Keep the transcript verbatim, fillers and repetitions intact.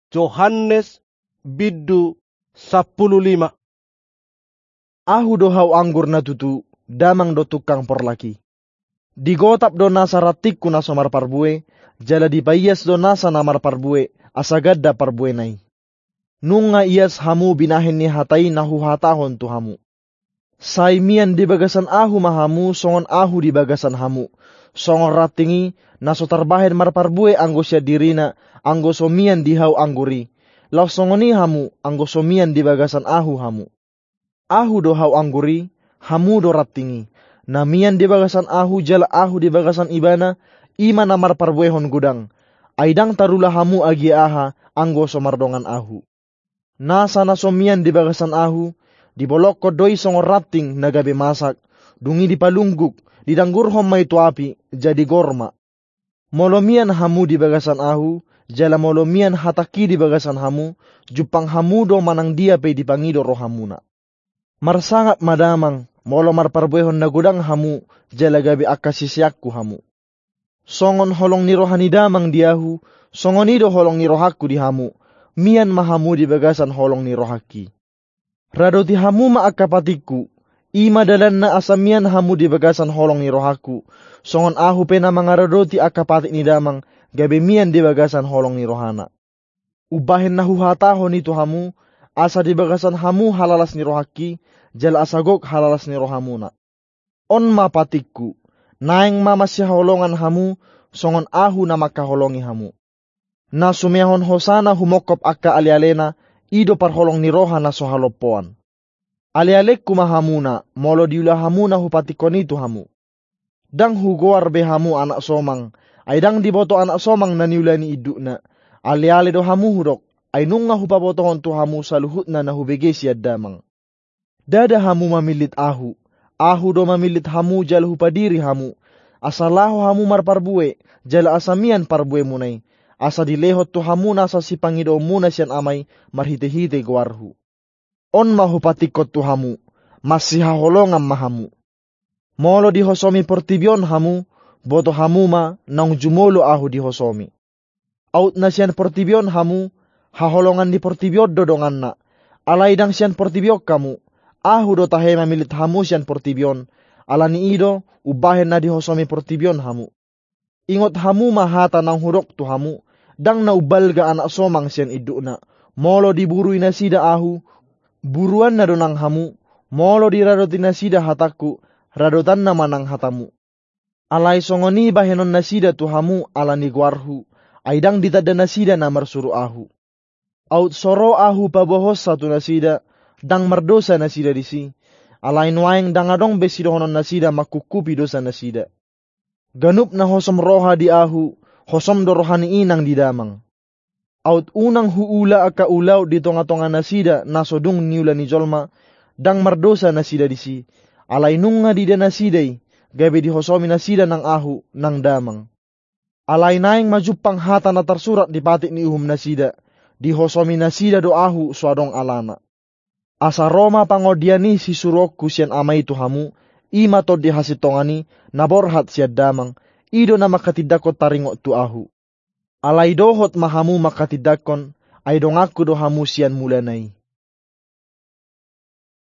Johannes bindu sampulu lima. Ahu do hau anggur na tutu, damang do tungkang porlak i. Digotap do nasa rantingku na so marparbue, jala dipaias do nasa na marparbue, asa ganda parbuena i. Nunga ias hamu binahen ni hata i na huhatahon tu hamu. Sai mian di bagasan ahu ma hamu, songon ahu di bagasan hamu. Songon ranting i, na so tarbahen marparbue anggo sian dirina, anggo so mian di hau anggur i. Laos songon i hamu, anggo so mian di bagasan ahu hamu. Ahu do hau anggur i, hamu do ranting i. Na mian di bagasan ahu jala ahu di bagasan ibana, i ma na marparbuehon godang. Ai ndang tarula hamu agia aha, anggo so mardongan ahu. Nasa na so mian di bagasan ahu, dibolongkon do i songon ranting na gabe masak, dung i dipalungguk, didanggurhon ma i tu api, jadi gor ma. Molo mian hamu di bagasan ahu, jala molo mian hatangki di bagasan hamu, jumpang hamu do manang dia pe dipangido rohamuna. Marsangap ma damang, molo marparbuehon na godang hamu, jala gabe angka siseanku hamu. Songon holong ni roha ni damang di ahu, songon i do holong ni rohangku di hamu, mian ma hamu di bagasan holong ni rohangki. Radoti hamu ma angka patikku, i ma dalanna asa mian hamu di bagasan holong ni rohangku, songon ahu pe na mangaradoti angka patik ni damang, gabe mian di bagasan holong ni rohana. Umbahen na huhatahon i tu hamu, asa di bagasan hamu halalas ni rohangki, jala asa gok halalas ni rohamuna. On ma patikku, naeng ma masihaholongan hamu, songon ahu na mangkaholongi hamu. Na sumeahon hosana humongkop angka alealena, i do parholong ni roha na so halompoan. Alealengku ma hamuna, molo diula hamu na hupatikkon i tu hamu. Ndang hugoar be hamu anak somang, ai ndang diboto anak somang na niula ni indukna. Aleale do hamu hudok, ai nunga hupabotohon tu hamu saluhutna na hubege sian damang. Ndada hamu mamillit ahu, ahu do mamillit hamu jala hupadiri hamu, asa laho hamu marparbue, jala asa mian parbuemuna i, asa dilehon tu hamu nasa sipangidoonmuna sian Ama i marhitehite goarhu. On ma hupatikkon tu hamu, masihaholongan ma hamu. Molo dihosomi portibi on hamu, boto hamu ma naung jumolo ahu dihosomi. Aut na sian portibi on hamu, haholongan ni portibi on do donganna. Alai ndang sian portibi on hamu, ahu do tahe mamillit hamu sian portibi on, ala ni i do umbahen na dihosomi portibi on hamu. Ingot hamu ma hata naung hudok tu hamu, ndang na umbalga anak somang sian indukna. Molo diburui nasida ahu, buruanna do nang hamu, molo diradoti nasida hatangku, radotanna ma nang hatamu. Alai songon i bahenon nasida tu hamu ala ni goarhu, ai ndang ditanda nasida na marsuru ahu. Aut so ro ahu paboahonsa tu nasida, ndang mardosa nasida disi, alai nuaeng ndang adong be sidohonon nasida mangkungkupi dosa nasida. Ganup na hosom roha di ahu, hosom do roha ni inang di damang. Aut unang huula angka ulaon di tongatonga nasida na so dung niula ni jolma, ndang mardosa nasida disi, alai nunga diida nasida i, gabe dihosomi nasida nang ahu, nang damang. Alai naeng ma jumpang hata na tarsurat di patik ni uhum nasida, dihosomi nasida do ahu so adong alana. Asa ro ma pangondian ni sisuruonku sian Ama i tu hamu, i ma Tondi hasintongan i, na borhat sian damang, i do na mangkatindangkon taringot tu ahu. Alai dohot ma hamu mangkatindangkon, ai donganku do hamu sian mulana i.